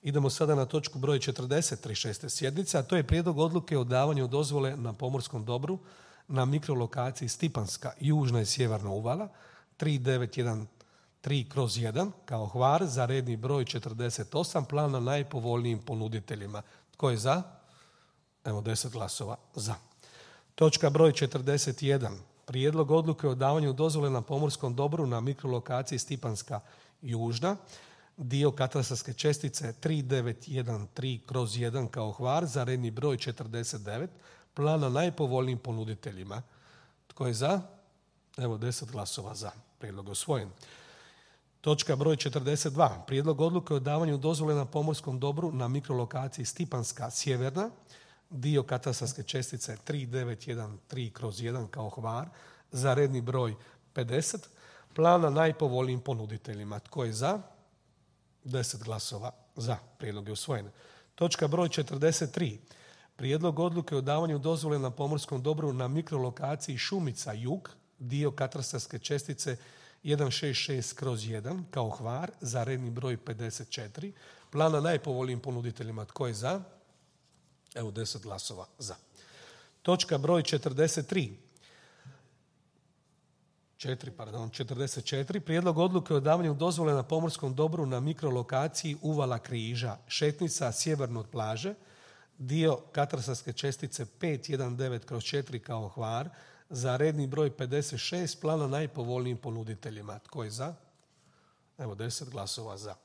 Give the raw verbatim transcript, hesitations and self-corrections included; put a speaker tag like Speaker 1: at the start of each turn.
Speaker 1: Idemo sada na točku broj četrdeset trideset šeste sjednice, a to je prijedlog odluke o davanju dozvole na pomorskom dobru na mikrolokaciji Stipanska, južna i sjeverna uvala, tri devet jedan tri kroz jedan kao Hvar za redni broj četrdeset osam, plan na najpovoljnijim ponuditeljima. Tko je za? Evo deset glasova za. Točka broj četrdeset jedan. Prijedlog odluke o davanju dozvole na pomorskom dobru na mikrolokaciji Stipanska, južna, dio katastarske čestice tri devet jedan tri kroz jedan kao Hvar za redni broj četrdeset devet, plan na najpovoljnijim ponuditeljima. Tko je za? Evo deset glasova za. Prijedlog je usvojen. Točka broj četrdeset dva. Prijedlog odluke o davanju dozvole na pomorskom dobru na mikrolokaciji Stipanska, sjeverna, dio katastarske čestice tri devet jedan tri kroz jedan kao Hvar za redni broj pedeset, plan na najpovoljnijim ponuditeljima. Tko je za? deset glasova za. Prijedlog je usvojen. Točka broj četrdeset tri. Prijedlog odluke o davanju dozvole na pomorskom dobru na mikrolokaciji Šumica, jug, dio katastarske čestice jedan šest šest kroz jedan kao Hvar za redni broj pedeset četiri, plan na najpovoljnijim ponuditeljima. Tko je za? Evo deset glasova za. Točka broj četrdeset tri. Četiri, pardon, četrdeset četiri. Prijedlog odluke o davanju dozvole na pomorskom dobru na mikrolokaciji Uvala Križa, šetnica sjeverno od plaže, dio katastarske čestice pet jedan devet kroz četiri kao Hvar za redni broj pedeset šest, plan na najpovoljnijim ponuditeljima. Tko je za? Evo deset glasova za.